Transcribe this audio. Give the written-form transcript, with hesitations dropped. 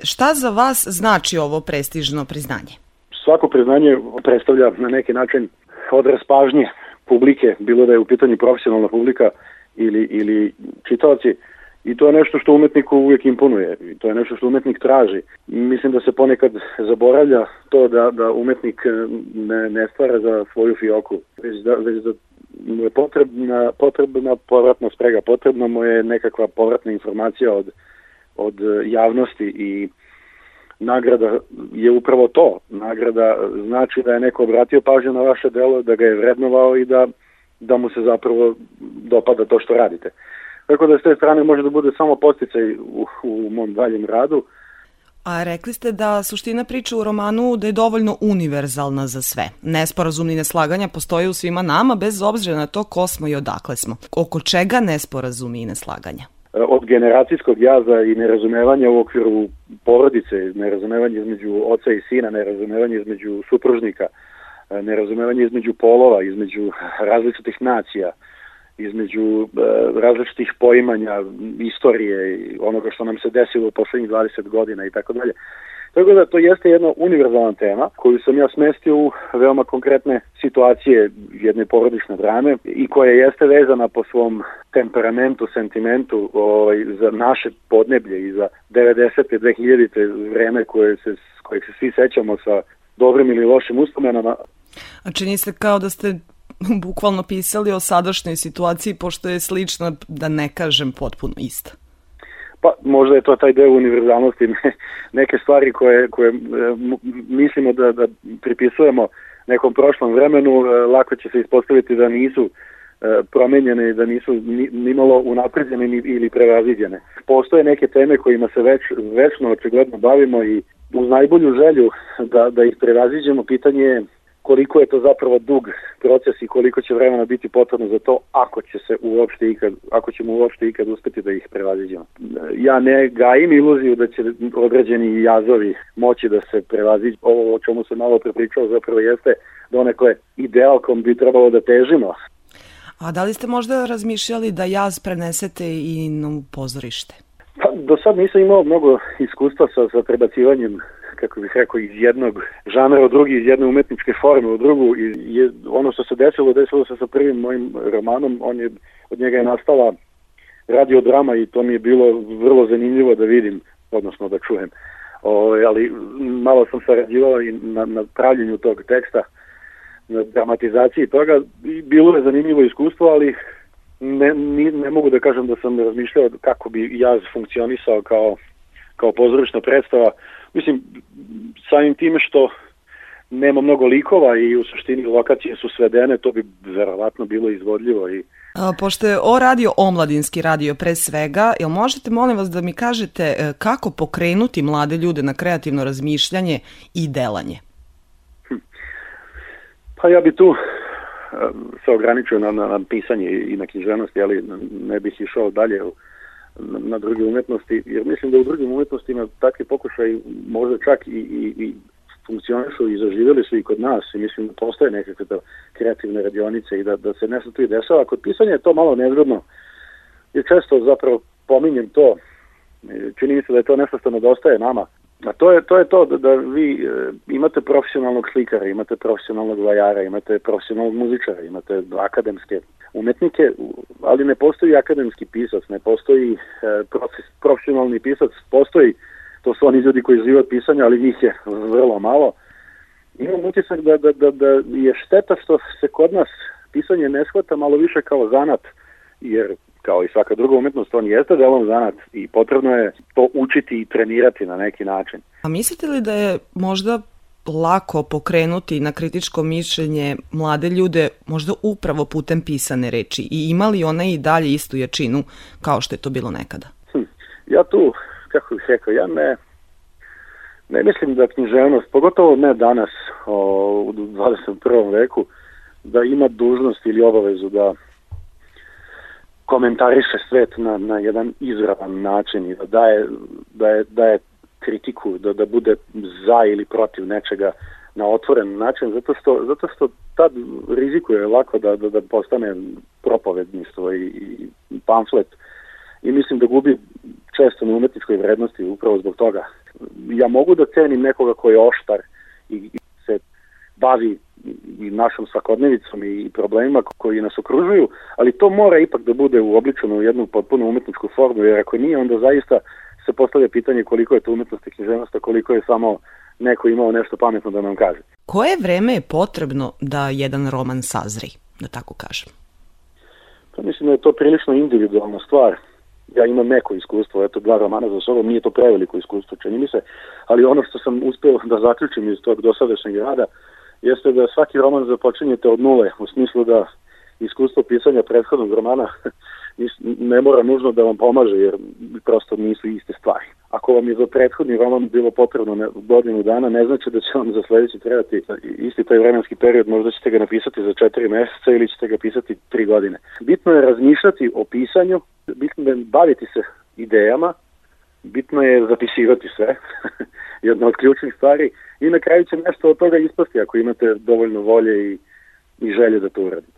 Šta za vas znači ovo prestižno priznanje? Svako priznanje predstavlja na neki način odraz pažnje publike, bilo da je u pitanju profesionalna publika ili čitaoci. I to je nešto što umetniku uvijek imponuje. I to je nešto što umetnik traži. Mislim da se ponekad zaboravlja to da umetnik ne stvara za svoju fioku, već da mu je potrebna povratna sprega, potrebna mu je nekakva povratna informacija od javnosti i nagrada je upravo to. Nagrada znači da je neko obratio pažnju na vaše delo, da ga je vrednovao i da mu se zapravo dopada to što radite. Tako da s te strane može da bude samo podsticaj u mom daljem radu. A rekli ste da suština priče u romanu da je dovoljno univerzalna za sve. Nesporazumi i neslaganja postoje u svima nama, bez obzira na to ko smo i odakle smo. Oko čega nesporazumi i neslaganja? Od generacijskog jaza i nerazumevanja u okviru porodice, nerazumevanje između oca i sina, nerazumevanje između supružnika, nerazumevanje između polova, između različitih nacija, između različitih poimanja istorije i onoga što nam se desilo u poslednjih 20 godina i tako dalje. Tako da to jeste jedna univerzalna tema koju sam ja smestio u veoma konkretne situacije jedne porodične drame i koja jeste vezana po svom temperamentu, sentimentu za naše podneblje i za 90. 2000. vreme kojeg se svi sećamo sa dobrim ili lošim uspomenama. A čini se kao da ste bukvalno pisali o sadašnjoj situaciji, pošto je slična, da ne kažem potpuno ista. Pa možda je to taj deo univerzalnosti, neke stvari koje mislimo da pripisujemo nekom prošlom vremenu, lako će se ispostaviti da nisu promenjene i da nisu nimalo unapređene ili prevaziđene. Postoje neke teme kojima se večno očigledno bavimo i uz najbolju želju da ih prevaziđemo, pitanje je koliko je to zapravo dug proces i koliko će vremena biti potrebno za to ako ćemo uopšte ikad uspeti da ih prevaziđemo. Ja ne gajim iluziju da će određeni jazovi moći da se prevaziđu. Ovo o čemu sam malo prepričao zapravo jeste donekle ideal kom bi trebalo da težimo. A da li ste možda razmišljali da jaz prenesete i na pozorište? Pa, do sad nisam imao mnogo iskustva sa prebacivanjem, kako bih rekao, iz jednog žanra u drugi, iz jedne umetničke forme u drugu. I ono što se desilo se sa prvim mojim romanom, od njega je nastala radiodrama i to mi je bilo vrlo zanimljivo da vidim, odnosno da čujem. Ali malo sam sarađivao i na pravljenju tog teksta, na dramatizaciji toga i bilo je zanimljivo iskustvo, ali ne mogu da kažem da sam razmišljao kako bi jaz funkcionisao kao pozorišna predstava. Mislim, samim time što nema mnogo likova i u suštini lokacije su svedene, to bi verovatno bilo izvodljivo. Pošto je radio omladinski radio pre svega, jel možete, molim vas, da mi kažete kako pokrenuti mlade ljude na kreativno razmišljanje i delanje? Pa ja bi tu se ograničio na pisanje i na književnosti, ali ne bih išao dalje na druge umetnosti, jer mislim da u drugim umetnostima takvi pokušaj možda čak i funkcionišu i zaživjeli su i kod nas i mislim da postoje nekakve kreativne radionice i da se nešto tu i dešava. Kod pisanja je to malo nezgodno i često zapravo pominjem to, čini mi se da je to nešto što nedostaje nama. A to je to da vi imate profesionalnog slikara, imate profesionalnog vajara, imate profesionalnog muzičara, imate akademske umetnike, ali ne postoji akademski pisac, ne postoji profesionalni pisac, postoji, to su oni ljudi koji žive od pisanja, ali njih je vrlo malo. Imam utisak da je šteta što se kod nas pisanje ne shvata malo više kao zanat, jer kao i svaka druga umetnost, on jeste delom zanat i potrebno je to učiti i trenirati na neki način. A mislite li da je možda lako pokrenuti na kritičko mišljenje mlade ljude možda upravo putem pisane reči i ima li ona i dalje istu jačinu kao što je to bilo nekada? Ja tu, kako bih rekao, ja ne mislim da književnost, pogotovo ne danas u 21. veku, da ima dužnost ili obavezu da komentariše svet na jedan izravan način i da daje kritiku, da bude za ili protiv nečega na otvoren način, zato što tad rizikuje lako da postane propovedništvo i pamflet i mislim da gubi često na umetničkoj vrednosti upravo zbog toga. ja mogu da cenim nekoga koji je oštar i se bavi i našom svakodnevicom i problemima koji nas okružuju, ali to mora ipak da bude uobličeno u jednu potpuno umetničku formu, jer ako nije, onda zaista se postavlja pitanje koliko je to umetnost i književnost, a koliko je samo neko imao nešto pametno da nam kaže. Koje vreme je potrebno da jedan roman sazri, da tako kažem? Pa mislim da je to prilično individualna stvar. Ja imam neko iskustvo, eto 2 romana za sobom, nije to preveliko iskustvo, čini mi se, ali ono što sam uspeo da zaključim iz tog dosadašnjeg rada jeste da svaki roman započinjete od nule, u smislu da iskustvo pisanja prethodnog romana ne mora nužno da vam pomaže, jer prosto nisu iste stvari. Ako vam je za prethodni roman bilo potrebno godinu dana, ne znači da će vam za sledeći trebati isti taj vremenski period, možda ćete ga napisati za 4 meseca ili ćete ga pisati 3 godine. Bitno je razmišljati o pisanju, bitno je baviti se idejama, bitno je zapisivati sve, jedna od ključnih stvari, i na kraju će nešto od toga ispasti ako imate dovoljno volje i želje da to uradite.